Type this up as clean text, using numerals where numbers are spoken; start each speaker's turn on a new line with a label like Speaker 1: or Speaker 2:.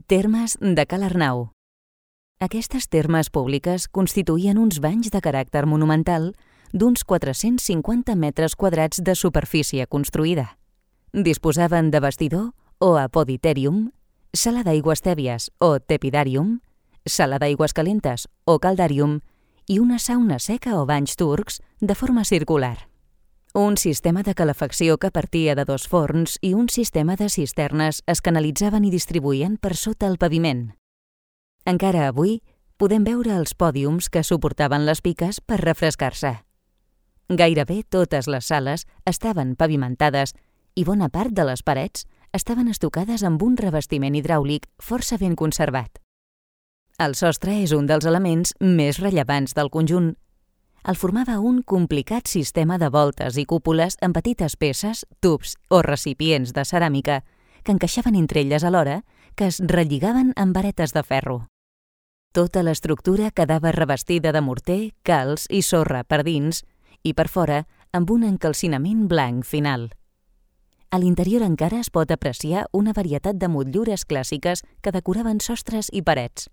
Speaker 1: Termes de Cal Arnau. Aquestes termes públiques constituïen uns banys de caràcter monumental d'uns 450 metres quadrats de superfície construïda. Disposaven de vestidor o apoditèrium, sala d'aigües tèbies o tepidàrium, sala d'aigües calentes o caldàrium i una sauna seca o banys turcs de forma circular. Un sistema de calefacció que partia de 2 forns i un sistema de cisternes es canalitzaven i distribuïen per sota el paviment. Encara avui podem veure els pòdiums que suportaven les piques per refrescar-se. Gairebé totes les sales estaven pavimentades i bona part de les parets estaven estucades amb un revestiment hidràulic força ben conservat. El sostre és un dels elements més rellevants del conjunt. El formava un complicat sistema de voltes i cúpules amb petites peces, tubs o recipients de ceràmica que encaixaven entre elles alhora que es relligaven amb varetes de ferro. Tota l'estructura quedava revestida de morter, calç i sorra per dins i per fora amb un encalcinament blanc final. A l'interior encara es pot apreciar una varietat de motllures clàssiques que decoraven sostres i parets.